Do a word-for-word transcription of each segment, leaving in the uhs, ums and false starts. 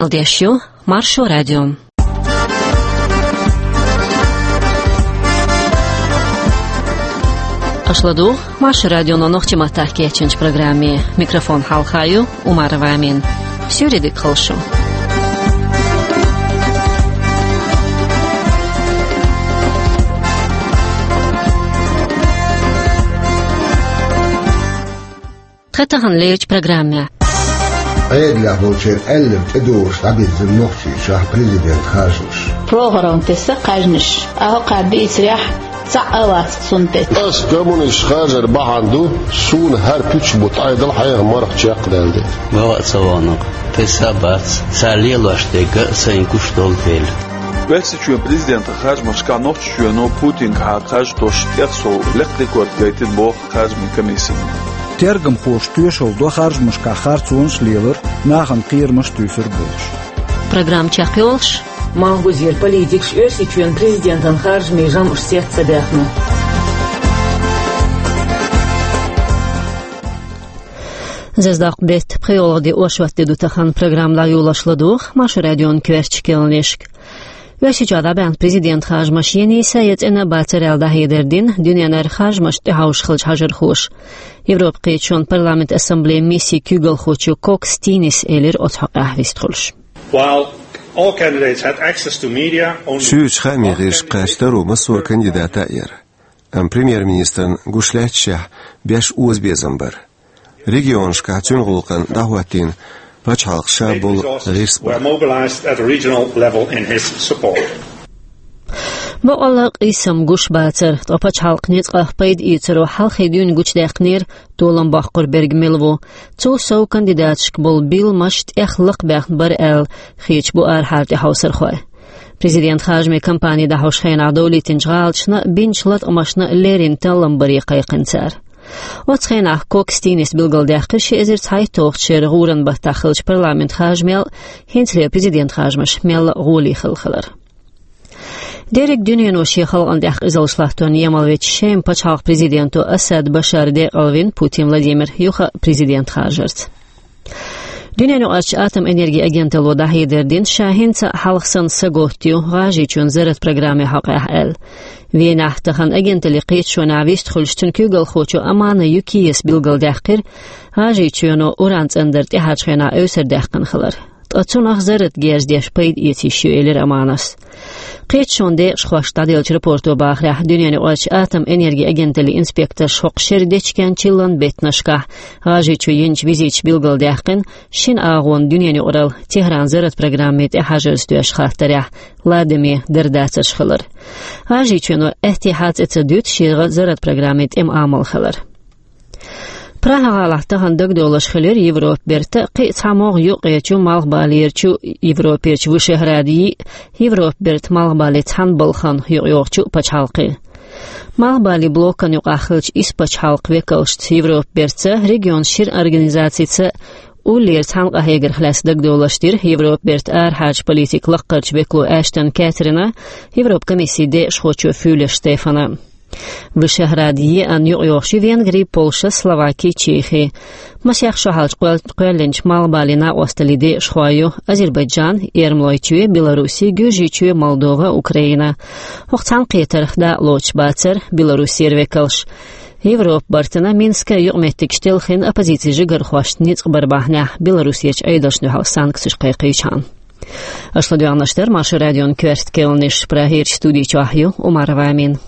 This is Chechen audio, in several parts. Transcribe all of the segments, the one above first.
Ладеш ю Маршо радио. Аша ладугӀу Маршо радионо нохчийн маттахь кечйинчу программе. Микрофон хьалха ю Умарова Амина. Суьйре дика хуьлда шу. Тхан тахана лерчу программехь. Ӏедалехь болчеран аьлларг тӀедогӀуш дӀабирзина Нохчийчохь президент харжамаш. Программа тесна кхаьжнаш. Ахьа кхаьббийцарехь цхьаъ а вац цунна тӀе. Ас коммунист хазар бахьана ду, суна хӀара пуьчбутт Ӏедал хьеха марха чекхдаьлла де. Ма вац ца вахана, тесна а бац, цара лелош дерг а сайн гуш долу дела. Оьрсийчоьнан президентан харжамашкахь Нохчийчоьно Путингахьа харжамаш тӀех сов лекха рекорд гайтина боху харжамийн комиссино. Тергамхоша тоьшалла до харжамашкахь харцонаш лелар, нахана кхерамаш туьйсур болуш. Программа чекхйолуш, Малхбузера политикаш Оьрсийчоьнан президентан харжамийн жамӀаш сецца ца даьхна. Зазадоккху беттан пхоьалгӀа де, оршот де ду тахана. Программа дӀайолош ладугӀу Маршо радион коьртачу кхаьънашка. Оьрсийчохь дӀабаьхна президент харжамаш я нийса, я цӀена а бацара аьлла дӀахьедар дина дуьненара харжамашна тӀехьовш хиллачу хьажархоша. Европан кхеташонан парламентан ассамблейн миссин куьйгалхочо Кокс Тинис элира оцу хьокъехь вистхуьлуш. While all candidates had access to media, only... Шуьйрачу хаамийн гӀирсашка кхаьчна таро массо а кандидата а яра. Амма премьер-министрна гуш лаьтташехь беш оза безам бара. Регионашкахь цуьнан гӀуллакхна дӀахӀоттийна пачхьалкхан ша болу гӀирс бара. Were mobilized at a regional level in his support. Бакъалла къийсам гуш бацара, ткъа пачхьалкхан ницкъах пайда эцаро хьалхе дуьйна гучудаьккхинера, толам боккхур берг мила ву. Цул сов кандидаташка болу билламаш тӀех лакхабаьхна бара аьлла, хеташ бу арахьара тӀехьовсархой. Президент харжамийн кампани дӀахьош хенахь довлийтинчу гӀалаташна а, бинчу латкъамашна а леррина таллам баре кхайкхина цара. Оцу хенахь Кокс Тинис билгалдаьккхира ши эзар цхьайтталгӀачу шеран гӀуран баттахь хиллачу парламентан харжамел а, хӀинцалера президент харжамаш мелла а гӀоле хилла хилар. Дерриг дуьнено шен халкъана тӀехь къизаллаш латтор емал вечу Шеман пачхьалкхан президенто Асад Башара декъалвина Путин Владимир юха а президент харжарца. Дуьненаюкъарчу атомэнергин агенталло дӀахьедар дина, ша хӀинца а хьалха санна саготта ю ГӀажарийчоьнан зарратан программин хьокъехь аьлла. Венехь тахана агенталлин кхеташонехь вистхуьлуш, цуьнан куьйгалхочо Амана Юкиас билгалдаьккхира ГӀажарийчоьно уран цӀандар тӀаьхьарчу хенахь эвсардаьккхина хилар. Ткъа цунах зарратан герз деш пайда эца йиш ю, элира Аманас. Кхеташонан декъашхошца дӀаделлачу рапорто бахарехь, дуьненаюкъарчу атомэнергин агенталлин инспекторша хӀокху шеран дечкен-чиллан беттанашкахь ГӀажарийчу йинчу визиташа билгалдаьккхина, шина агӀонан дуьненаюкъаралла Техран зарратан программе тӀехьажарца доьшучу хаттарехь ладаме дардацарш хилар. ГӀажарийчоьно аьттехьа цӀе ца дуьту шегӀан зарратан программе тӀеман амал хилар. Прага-гӀалахь тахана дагадовлуш хилира Европа берта кхин а цхьа могӀа юккъерчу малхбалерчу Европерчу Вышеград йиъ, Европа берта малхбале цхьана балхана юкъайогӀучу пачхьалкхе. Малхбален блокана юкъахь хиллачу исс пачхьалкхан векалшца Европа берца, регионан шира организацица уллера цхьаьна къахьегарх лаьцна дагадовлуш дира Европа берта арахьарчу политикан лаккхарчу векало Эштон Кэтрина, Европан комиссин декъашхочо Фюле Штефана. Вышеград йиъна юкъайогӀуш ю Венгри, Польша, Словаки, Чехи. Масех шо хьалча кхоьл-, кхоьллинчу малхбален накъосталлин декъашхой ю Азербайджан, Эрмалойчоь, Белоруссия, Гуьржийчоь, Молдова, Украина. ХӀокху цхьаьнакхетарх дакъа лоцуш бацара Белоруссера векалш. Европа бартана Минскан юкъаметтигаш телхина оппозицин жигархошна ницкъ бар бахьанехь Белоруссерчу Ӏедалшна дуьхьал санкцеш кхайкхийчхьана. Аша ладоьгӀнарш дара Маршо радион коьрта кхаьънаш, Прагерчу студи чохь ю Умарова Амина.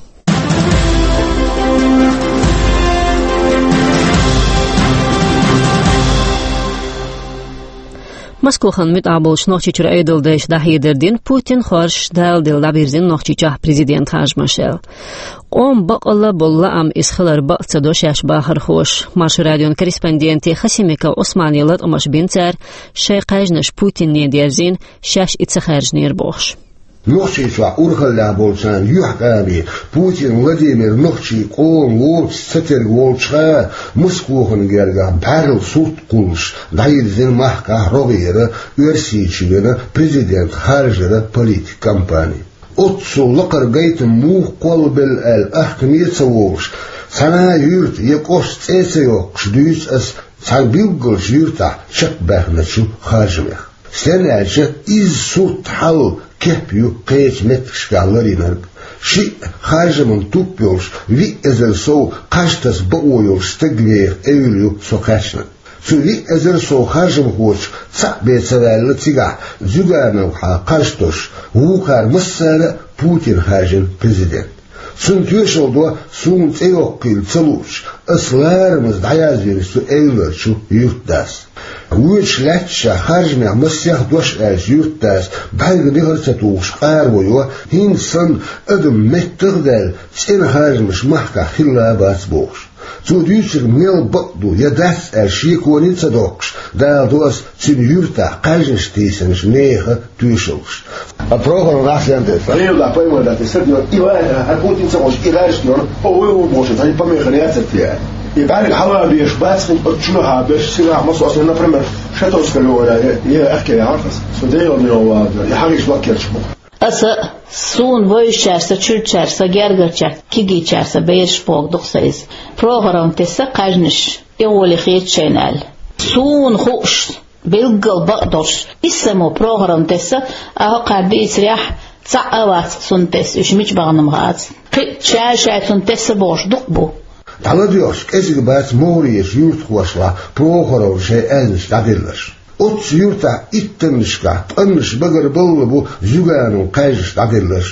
Москвахана муьтӀахь болчу Нохчийчуьра Ӏедалдайша дӀахьедар дина, Путин хоржуш Дала делла дӀабирзина Нохчийчохь президент харжамаш аьлла. Къоман бакъалла болу лаам иза хилар бакъ ца до шаьш бахархоша. Маршо радион корреспонденте Хасимиков Ӏусмане латкъамаш бина цара, шайн кхаьжнаш Путине дерзийна, шаьш и ца хаьржинера бохуш. Нохчийчохь урхаллехь болчарна юьхькӀаме Путин Владимир нохчийн къоман воцуш ца терга волчуха, Москвахана гергахь бӀаьрла сурт кхуллуш дӀайирзина махкахь рогӀера Оьрсийчоьнан президент харжаран политикан кампани. Оццул лакхара гайтам муха кхоллабелла аьлла, ахкаме а ца волуш, цхьана а юьрта я кӀошта цӀе а ца йоккхуш, дуьйцу ас цхьана билггалчу юьртахь чекхбаьхначу харжамех. Стенна аьлча, изза сурт хьал кеп ю кхечу меттигашкахь ларийнарг. Шиъ харжаман туп йолуш, виъ эзар сов кхаж таса бакъо йолуш стаг веха эвла ю со кхаьчнарг. Цу виъ эзар сов харжамхочух цхьаъ бен ца ваьлла цигахь Зюгановхьа кхаж тосуш, вукхара массара а Путина хаьржина президент. Цунна тоьшалла до суна цӀе йоккхийла ца луучу, ас ларамаза дӀаязвира цу эвларчу юьртдас. Воьдуш лаьтташехь харжамех масех дош аьллачу юьртдас бӀаьрга дехар ца тухуш къара вайо, хӀинца санна адам меттах а даьлла, цӀена харжамаш махкахь хилла а бац бохуш. Цо дуьйцург мел бакъ ду я дац аьлла шеконе а ца доккхуш, даладо ас цуьнан юьртахь кхаьжнаш тийсинчу нехан тоьшаллаш. А Прохоров нах сен тесна? Левла поймал дац, и сад йо, и вай, а Путин ца гӀош, и гӀаьршна йо, о, вай ву бохуш, тани помеха яцат я. И бӀаьрга хьала беш, бац хин, оцу чуьнахьа беш, сирахь масо аса, например, Шатовская левара, я, я ахке яхьархас. Со дегӀан йо вада, я хьагиш лаккерчу бу. Аса, суна вевзачаьрца, чуьрачаьрца, гергарчаьрца, кегийчаьрца бераш боху ду-кх сан иза. Прохоровна тесна кхаьжнаш, и гӀоле хеташ шайна аьлла. Суна хууш, билггал бакъ долуш, иссамо Прохоровна тесна, а хӀокхара дийцарехь, цхьаъ а вац цунна тесна, уьш мича бахана-м хац. Кхин а шаьш-шаьш цунна тесна бохуш дукха бу. ДӀаладоьгӀча кӀезиг бац могӀарерчу юьртахошлахь Прохоровна шайн аьзнаш дӀаделларш. Оццу юьртахь иттаннашкахь къаннаш багарбалла бу Зюгановн кхаьжнаш дӀаделларш.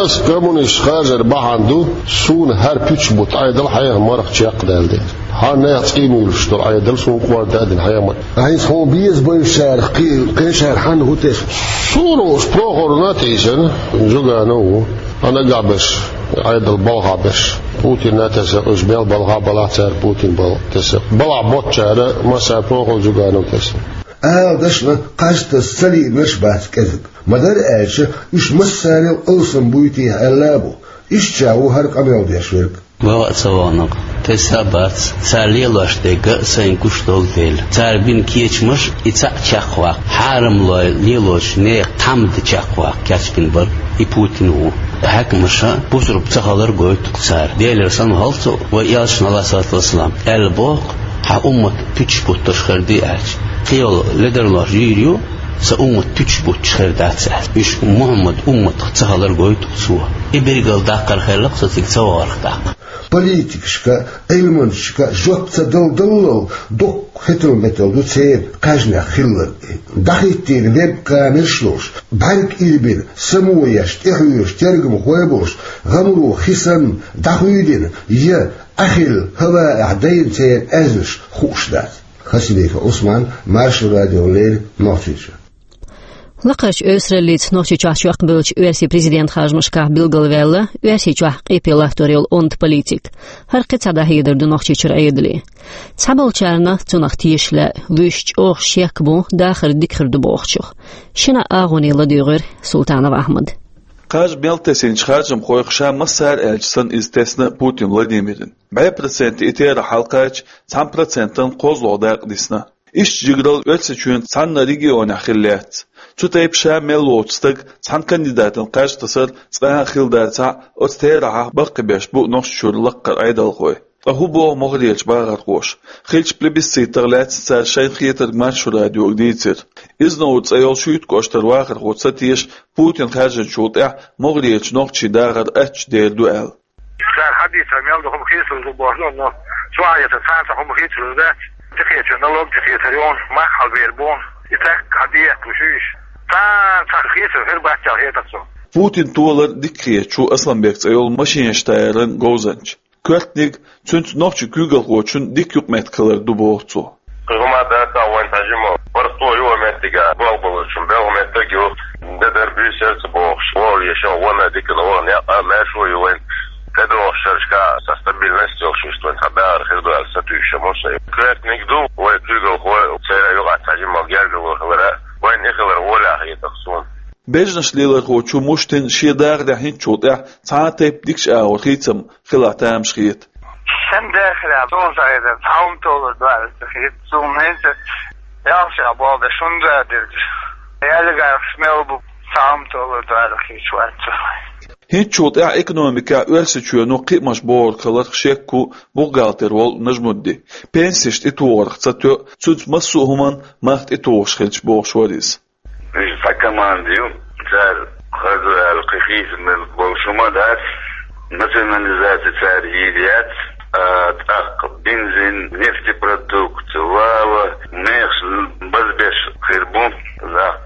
Ас коммунист хазар бахьана ду, суна хӀара пуьчаш бутт Ӏедал хьеха марха чекхдаьлла дела. Хьан нехан цӀий муьйлуш долу Ӏедал суна кхорда а дина хьеха марха. ХӀинца хьуна беза бевзачарах кхин, кхечара хьанна хӀун тесна? Суна уьш Прохоровна а тийсина, Зюганов а ву. Хьан нагахь берш, Ӏедал балхахь берш. Путинна а тесна, уьш мел балхахь балахь цара Путин бал тесна. Балахь боцчара массара Прохоров, Зюганов тесна. Ала дашна, кхаж таса ца лиънарш бац кӀезиг. Ма-дарра аьлча, уьш массарел алсам буй техьа аьлла а бу. Иштта ша ву хӀара къамел деш верг. Ваха а ца ваханарг тесна а бац, цара лелош дерг а сайна гуш долу дела. Цара бина кечамаш и цхьаъ чекхваккха, хьарамлой лелочу нехан тхьамда чекхваккха кечбина бара и Путин ву. Хьаькамаша бусурба ца хилар гойту-кх цара. Делера санна хьалха цо, вай элчано, Ӏалайхиссалату вассалам, аьлла боху, хьан уммат пуьчаш буттарш хир ду аьлча. Кхин йолу ледарлош йийр ю, сан уммат пуьчаш бутташ хир дац аьлла. Уьш Мухьаммад умматах ца хилар гойту-кх цо. И билгал даккхар хилла-кх со цига ца вахарх тӀаккха. Политикашка, Ӏилманчашка жоп ца дала даллал, доккха хетал-метал ду церан кхаьжнех хилларг. ДӀахӀиттийна веб-камераш а луш, бӀаьрг илбина, само еш, тӀехьоьжуш, тергамхой а болуш, гӀамаро хи санна дӀахуьйдина, я Ӏахилла хӀаваэхь дайна церан аьзнаш хууш дац. Хасимиков Ӏусман, Маршо радиона леррина, Нохчийчоь. Лакхарчу оьсараллица Нохчийчохь чекхбевллачу оьрсийн президентан харжамашкахь билгалваьлла Оьрсийчохь къепе латтор йолу онда политик. ХӀара кхин цхьа дӀахьедар ду Нохчийчуьра Ӏедале. Цхьаболчарна, цунах тешаш лаьа, вуьш чӀогӀа шек бу, дахар дика хир ду бохучух. Шина агӀоне ладуьйгӀира Султанов Ахьмада. Кхаж мел тесинчу харжамхойх ша массара аьлча санна иза тесна Путин Владимирна. БӀе процент и терахь хьалакхача, цхьана процентан кхозлагӀа дакъа дисна. Иштта жигаралла Оьрсийчоьнан цхьанна регионехь хилла яц. Цу тайпа ша мел воцу стаг цхьана кандидатан кхаж тасар цкъа а хилла дацахь а, оцу терахьах баккхийбеш бу Нохчийчуьра лаккхара Ӏедалхой. Ткъа хӀун боху могӀарерчу бахархоша? Хиллачу плебисцитах лаьцна цара шайна хетарг Маршо радиога дийцира. Изновр цӀе йолу Шуьйта кӀоштара вахархо ца теша Путин хаьржинчул тӀаьхьа могӀарерчу нохчийн дахар аттачу дер ду аьлла. Цара хьан дийцар мел ду хӀума хийцалур ду боху, но цу хьаьжцӀа царна цхьа хӀума хийцалур дац. ТӀекхечо налог тӀекхетар йону, мах хьалабер бону, и цаьрга хьан дехьа луш уьш. Царна цхьа хийцалур хир бац аьлла хетар цунна. Путин толар дика хеташ ву Асланбек цӀе йолу машинаш тайаран говзанча. Коьртаниг, цуьнца нохчийн куьйгалхочун дика юкъаметтиг хилар ду боху цо. Кхин хӀума дац а вайн тхьажимал. БархӀ тӀо ю вайн меттига, болх болчун белхан меттиг ю. Де дар буьйса яра ца бохуш, вогӀу ешан ванна дикана ваха некъ а, маьршо а ю вайн. ТӀедогӀуш шерашка а сан стабильность йолуш иштта вайн цхьа баьгӀар хир ду аьлла сатуьйсуш а ма сан. Коьртаниг ду, вай куьйгалхой церан юкъахь тхьажимал гергарло хилар а, вайна и хилар гӀолехь хетар суна. Бежнаш лелорхочо Муштина шен дахарехь хӀинцачул тӀаьхьа цхьа а тайпа дикачу агӀор хийцам хилахь тамаш хета. Сан дахарехь суна ца хетар, цхьа хӀума толур ду аьлла ца хета суна хӀинца. Ялсехь болу деш хӀунда а дерг. Ялигархаш мел бу, цхьа хӀума толур ду аьлла хеташ вац суна. ХӀинцачул тӀаьхьа экономикехь Оьрсийчоьно кхиамаш бохург хиларх шек ву бухгалтер волу Нажмудди. Пенсеш тӀетохарх ца тоьу, цуьнца массо а хӀуманна мах тӀетухуш хилча бохуш вара иза. Уьш цхьа команда ю, цара хаза аьлла кхин хийца мел болуш хӀума дац, национализация цара йийр яц, а, тӀаккха бензин, нефтепродукт, вала, мехаш базбеш хир бу,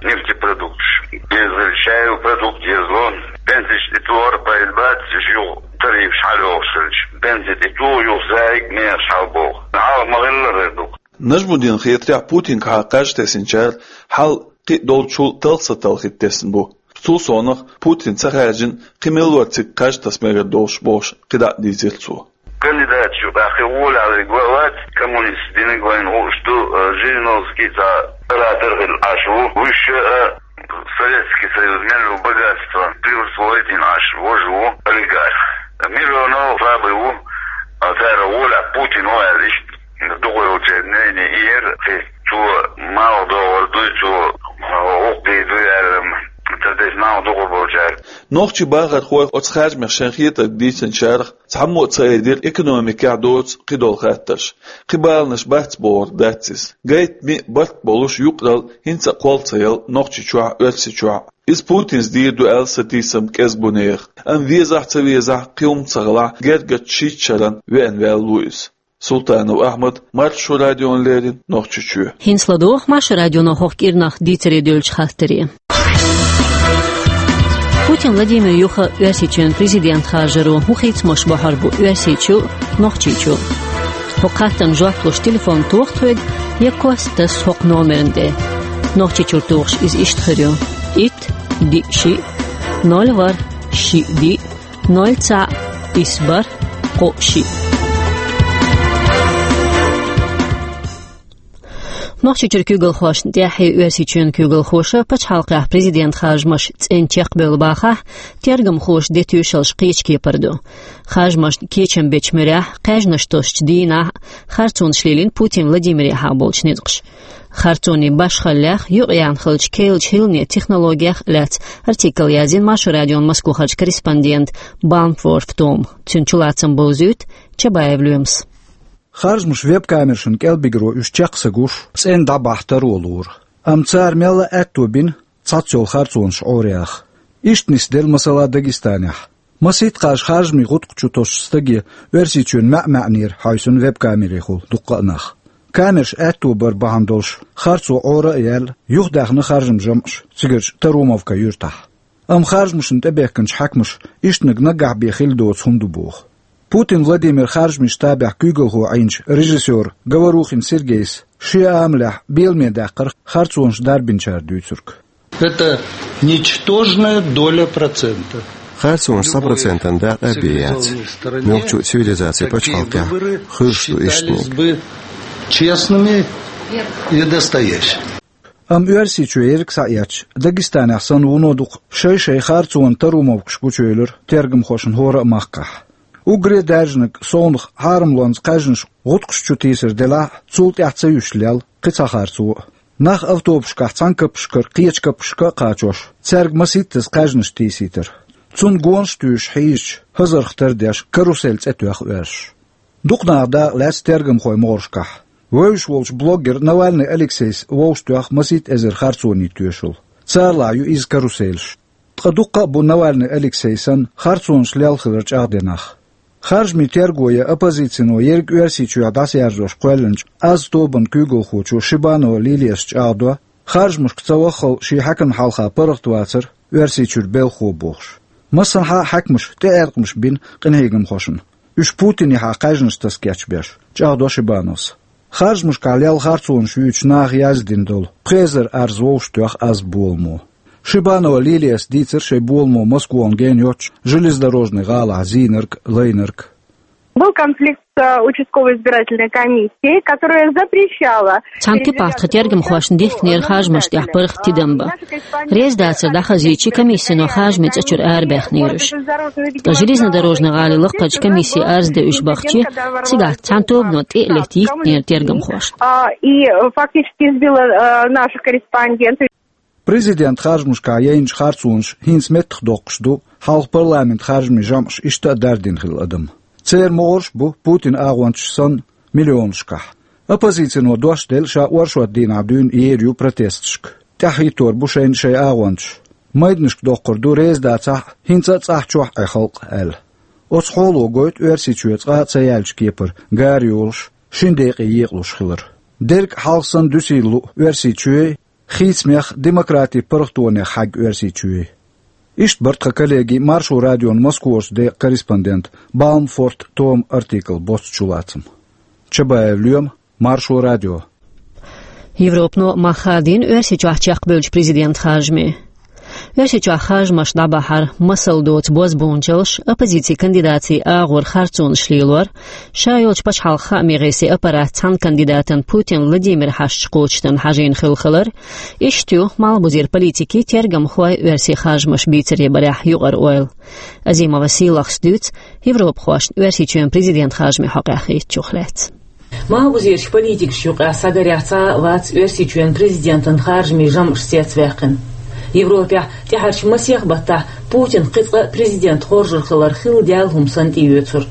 нефтепродукташ. Беза хилча, чай продукт езло, пенсеш тӀе тӀора пайда бац, уьш юха тарифаш хьалйохуш хилча. Пенсе тӀе туху, юха зайиг мехаш хьалбоху. Хьалха ма-хиллара хир ду. Нажмудин хетарехь, Путинга хьа кхаж тесначара хьал кхин а долчул талха ца талхийта тесна бу. Цул совнах Путин ца хаьржина кхин мел вара цига кхаж таса мегар долуш бохуш кхидӀа а дийцира цо. Кандидаташ юкъахь кхин гӀолехь ваьлларг вац, коммунисташ динарг вайна хууш ду, э, Жириновский цхьа оратор хилла Ӏаш ву. Вуьш, э, Советский Союз мел ву богатство присвоить йина Ӏаш вожа ву, олигарх. Миронов слабый ву, а цара гӀолехь Путин ву аьлла иштта. Дукха йолчеран нейне иера, кхин цо малх догӀур дуй, цо гӀуллакх дийр дуй аьлла, ца деза малх дукха болчара. Нохчийн бахархой оцу харжамех шайн хетарг дийцинчарах цхьаммо а ца айдира экономикехь доцу кхидолу хаттарш. Кхин баланаш бац бохург дац иза. Гайта миъ барт болуш юкъаралла хӀинца а кхолла ца яла Нохчийчохь а, Оьрсийчохь а. Иза Путинца дийр ду аьлла сатийсам кӀезиг бу нехан. Амма везахь а, ца везахь а, кхин хӀума ца хилахь, гергарчу шийтта шарна веана ваьлла ву иза. Султанов Ахьмад, Маршо радиона леррина, Нохчийчоь. ХӀинца ладогӀа Маршо радионо хӀокху кӀирнах дийцаре девллачу хаттаре. Путин Владимир юха Оьрсийчоьнан президент харжаро хӀун хийцамаш бохьур бу Оьрсийчу а, Нохчийчу а? ХӀокху хаттарна жоп луш телефон тоха тхоьга, я кост таса хӀокху номерна тӀе. Нохчийчуьра тухуш иза иштта хир ю: итт, диъ, шиъ, ноль, ворхӀ, шиъ, диъ, ноль, цхьаъ, исс, бархӀ, кхоъ, шиъ. Нохчийчуьра куьйгалхошна тӀехь а, Оьрсийчоьнан куьйгалхоша пачхьалкхехь президент харжамаш цӀена чекхбевлла бахахь, тергамхоша де тоьшаллаш кхечу кепара ду. Харжамашна кечам бечу муьрехь, кхаьжнаш тосучу дийнахь а харцонаш лелийна Путин Владимирехьа болчу ницкъаша. Харцонийн башхаллех, юкъаяьхна хиллачу керлачу хӀиллане технологех а лаьцна артикл язйина Маршо радион Москвахарчу корреспондента Баумфорф Тома. Цуьнан чулацам бовзуьйту Чабаев Лоьмас. Харжамаш веб-камерашна кӀелбигро уьш чекх ца гуш, цӀена дӀабахьа таро лура. Амма цара мелла а аьтто бина цхьацца йолу харцонаш Ӏораха. Иштта нисделла масала Дагестанехь. Масийтта кхаж харжамийн гӀутакх чу тосучу стаге Оьрсийчоьнан маьӀ-маьӀӀера хьаьвсина веб-камерехула дуккха а нах. Камераш аьтто бар бахьана долуш, харцо Ӏора а яьлла, юхадаьхна харжамийн жамӀаш цигарчу Тарумовка юьртахь. Амма харжамашна тӀебехкинчу хьаькамаша иштаниг наггахь бен хилла доцу хӀума ду боху. Путин Владимир харжамийн штабехь куьйгалхо Ӏийначу режиссёра Говорухин Сергейс шен амалехь беламе даьккхира харцонаш дарбинчара дуьйцург. Это ничтожная доля процента. Харцонаш цхьа процентан дакъа а бен яц. Муьлххачу цивилизацин пачхьалкхехь хуьлуш ду иштаниг. Честными и настоящими. Амма Оьрсийчоь ерриг схьаэцча, Дагестанехь санна вуно дукха шай-шай харцонан тарумовкаш гучуевлира тергамхошна хӀора а махкахь. Уггаре а даьржинарг совнаха хьарамлонца кхаьжнаш гӀутакхаш чу тийсар делахь а, цул тӀаьхьа ца юьсуш лелла кхин цхьа харцо а. Нах автобусашкахь цхьана каппашкара кхечу каппашка а кхачош, цаьрга масийттаза кхаьжнаш тийсийтар. Цунна гонаш а туьйсуш хьийзачу хӀазарх тардеш, карусель цӀе тоьхна оьрсаша. Дукха наха дакъа лаьцна тергамхойн могӀаршкахь. Вевзаш волчу блогер Навальный Алексейс вовшахтоьхна масийтта эзар харцонийн тоьшалла. Царалахь ю иза каруселаш. Ткъа дуккха а бу Навальный Алексей санна харцонаш лелла хилар чӀагӀден нах. Харжамийн терго я оппозицино ерриг Оьрсийчохь дӀасаяржош кхоьллинчу «Аз» тобанан куьйгалхочо Шибанова Лилияс чӀагӀдо, харжамашка ца ваххал шен хьаькамна хьалха паргӀатвацара Оьрсийчуьра белхахо бохуш. Массанхьа а хьаькамаша тӀеӀаьркъамаш бина къинхьегамхошна, уьш Путинехьа кхаьжнаш таса кечбеш, чӀагӀдо Шибановс. Харжамашкахь лелла харцонаш юьйцуш наха яздина долу пхи эзар арз вовшахтоьхна «Аз» боламо. Шибанова Лилияс дийцира шайн боламо Москвана гена йоццуш железнодорожный гӀалахь зийнарг, лайнарг. Был конфликт с, э, участковой избирательной комиссией, которая запрещала... Цхьана тӀе пхьахьа тхо тергамхошна дихкинера харжамашна тӀехь паргӀат тидам бан. Реза дацар дӀахазийча, комиссино харжамийн цӀа чуьра арабаьхнера уьш. Ткъа железнодорожный гӀалин лакхарчу комиссе арз дан уьш бахча, цигахь цхьана тобано тӀе а летта йиттинера тергамхошна. А, и, э, фактически избила, э, наших корреспондентов. Президентан харжамашкахь яйначу харцонаш хӀинца меттахдоккхуш ду, хьалха парламентан харжамийн жамӀаш иштта а дардина хилла адам. Церан могӀарш а бу Путинан агӀончаш санна миллионашкахь. Оппозицино дош делла ша оршот дийнахь дуьйна ер ю протесташка. тӀаьхьахӀиттор бу шайна шайн агӀончаш. Майданашка доккхур ду, реза дацахь а, хӀинца а цӀахь чохь Ӏе халкъ аьлла. Оцу хьоло гойту Оьрсийчоь цкъа а ца яьллачу кепара гара йолуш, шина декъе екъалуш хилар. Дерг а хьалха санна дуьсийла луъ Оьрсийчоь, хийцамех, демократин паргӀатонех хьаьгна Оьрсийчоь. Иштта бара тхан коллегийн, Маршо радион Москварчу декъан корреспондент Балмфорт Тома артикл боццу чулацам. Чабаев Лоьма, Маршо радио. Европано мах хадийна Оьрсийчохь чекхбевллачу президентан харжаме. Оьрсийчохь харжамаш дӀабахьар, масал доцу бозбуунчаллаш, оппозицин кандидатийн агӀор харцонаш лелор, ша йолчу пачхьалкхан хаамийн гӀирсийн аппарат цхьана кандидатан, Путин Владимиран хьашташ кхочушдан хьажийна хилла хилар, иштта ю малхбузера политикийн, тергамхойн оьрсийн харжамаш бийцаре барехь юкъара ойла. Азимова Сийлахас дуьйцу европахошна Оьрсийчоьнан президентан харжамийн хьокъехь хиъччух лаьцна. Малхбузерчу политикашна юкъахь схьагарехь цхьа а вац Оьрсийчоьнан президентан харжамийн жамӀаш цецваьккхина. Европехь тӀаьхьарчу масех баттахь Путин кхин цкъа а президент хоржур хилар хилла даьлла хӀума санна тӀеоьцура.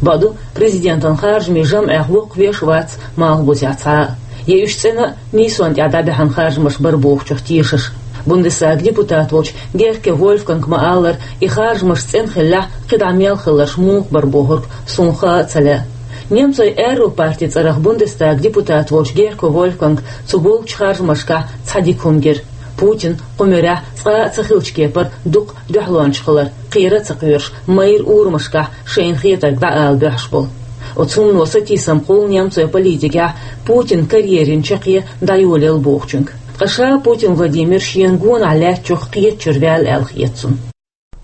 Бакъду, президентан харжамийн жамӀех воккхавеш а вац малхбузехь цхьа а. Я уьш цӀена а нийсонна тӀехь дӀабаьхьна харжамаш бара бохучух тешаш. Бундестаган депутат волчу Герке Вольфганга ма-аллара, и харжамаш цӀена хиллехь, кхидӀа мел хилларш муха бара бохург суна хаа а ца лаьа. Немцойн аьрру партин цӀарах Бундестаган депутат волчу Герке Вольфганга цу болчу харжамашкахь цхьа дика хӀума гира. Путин кху муьрехь цкъа а ца хиллачу кепара дукха дуьхьалонча хилар, кхера а ца кхоьруш, майрра урамашкахь шайна хетарг дӀаала бохьуш болу. Оцу хӀумано сатийсам кхуллу немцойн политикехь Путинан карьерин чаккхе дӀайолаелла бохучуьнга. Ткъа ша Путин Владимир шена гонах лаьттачух кхетачуьра ваьлла аьлла хета цунна.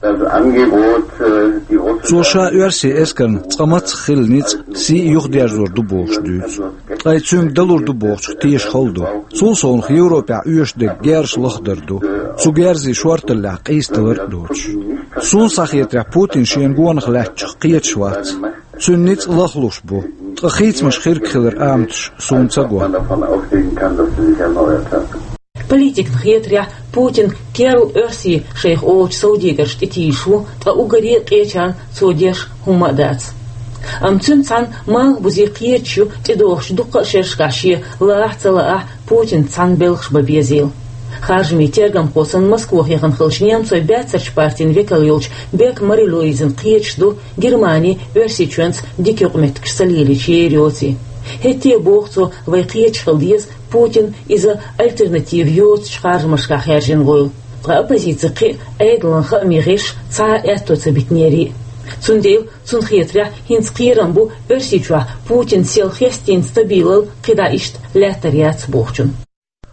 Das Angebot, äh, die russische Цо ша оьрсийн эскарна цкъа мацах хилла ницкъ, сий юхадерзор ду бохуш дуьйцу. Ткъа и цуьнга далур ду бохучух теша хала ду. Цул совнаха Европехь оьшуш дерг герзаш лахдар ду. Цу герзийн шорталлехь къийсадалар а доцуш. Суна схьахетарехь, Путин шена гонах лаьттачух кхеташ вац. Цуьнан ницкъ лахлуш бу. Ткъа хийцамаш хиргхилар аматаш суна ца го. Политикна хетарехь, Путин керла оьрсий шайх олучу совдегаршна тӀетийжаш ву, ткъа уггаре а къечарна цо деш хӀумма а дац. Амма цуьнца цхьаьна малхбузе кхеташ ю, тӀедогӀучу дуккха а шерашкахь шен лаахь а ца лаахь а Путинца цхьаьна белхаш бан безийла. Харжамийн тергамхо санна Москвахь яхана хиллачу немцойн баьццарчу партин векал йолчу Бек Мари-Луизина кхеташ ду, Германи Оьрсийчоьнца дика юкъаметтигаш ца лелийча ер йоций. ХӀетте а, боху цо, вай кхеташ хила деза, Путина иза альтернатива йоцучу харжамашкахь хаьржина вуйла. Ткъа оппозицин кхин а Ӏедалан хаамийн гӀирсаша цхьа а аьтто ца битинера. Цундела, цунна хетарехь, хӀинца кхерам бу Оьрсийчохь Путинан сел хестийна стабилал кхидӀа иштта лаьттар яц бохучун.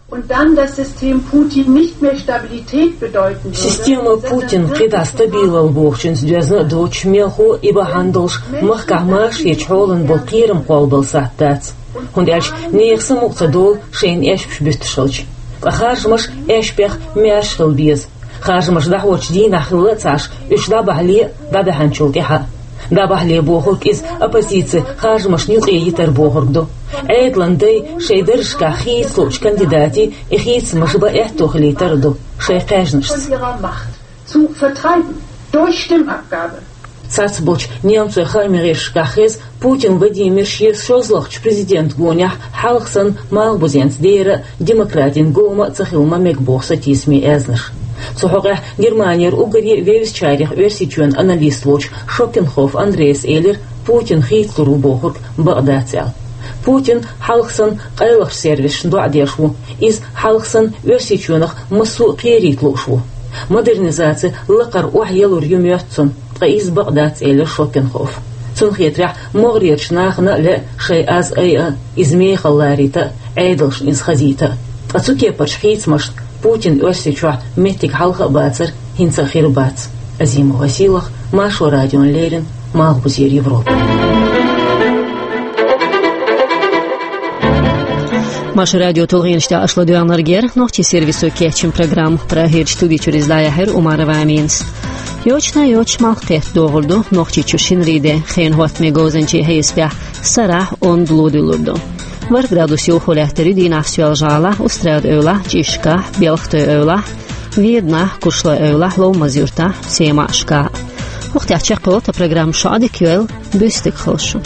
Und dann das System Putin nicht mehr Stabilität bedeuten würde, Система Путин кхидӀа стабилал бохучуьнца доьзна а доцуш, мелхо а, и бахьана долуш махкахь машаречу хьолан болу кхерам кхоллабала сатта дац. ХӀунда аьлча нехан самукъа ца долу шайна эшпаш буьттуш хилча. Ткъа харжамаш эшпех маьрша хила беза. Харжамаш дӀахьочу дийнахь хилла а ца Ӏаш, уьш дӀабахьале а, дӀабаьхьначул тӀаьхьа а. ДӀабахьале бохург иза оппозици харжамашна юкъе йитар бохург ду. Ӏедалан дай шайн даржашкахь хийца луучу кандидатийн и хийцамаш бан аьтто хилийтар а ду шайн кхаьжнашца. Von ihrer Macht zu vertreiben durch Stimmabgabe. Цацболчу немцойн хаамийн гӀирсашкахь хеза, Путин Владимир шен шозлагӀчу президентан гонехь хьалха санна малхбузенца дера а, демократийн гома а ца хила ма мега боху сатийсамийн аьзнаш. Цу хьокъехь Германера уггаре а вевзачарех Оьрсийчоьнан аналист волчу Шокенхоф Андреас элира, Путин хийцалур ву бохург бакъ дац аьлла. Путин хьалха санна къайлахчу сервисашна доӀа деш ву. Иза хьалха санна Оьрсийчоьнах массо а кхерийта лууш ву. Модернизаци лакхара охьаялур ю моьтту цунна, ткъа иза бакъ дац, элира Шокенхоф. Цунна хетарехь, могӀарерчу нахана а лаьа шайн аз айа а, иза мехала ларийта а, Ӏедалшна иза хазийта а. Ткъа цу кепарчу хийцамашна Путинан Оьрсийчохь меттиг хьалха а бацара, хӀинца а хир бац. Азимова Сийлаха, Маршо радиона леррина, Малхбузера Европа. Маршо радион тулгӀенаш тӀехь аша ладоьгӀнарг яра нохчийн сервисо кечйина программа. Прагерчу студи чуьра иза дӀаяьхьира Умарова Аминас. Йочана йоцуш малх кхетта догӀур ду Нохчийчу шинарин де. Хенан хӀоттаман говзанчийн хьесапехь, сарахь онда ло дуьллур ду. ВорхӀ градус йовхо лаьттар ю дийнахь Соьлжа-ГӀалахь, Устрада-Эвлахь, ЧӀишкахь, Белхатой-Эвлахь, Веданахь, Кушлой-Эвлахь, Ловмаз-Юьртахь, Семашкахь. ХӀокху тӀехь чекхйолу тхан программа. Шун Ӏадика йойла, буьйса дика хуьлда шун.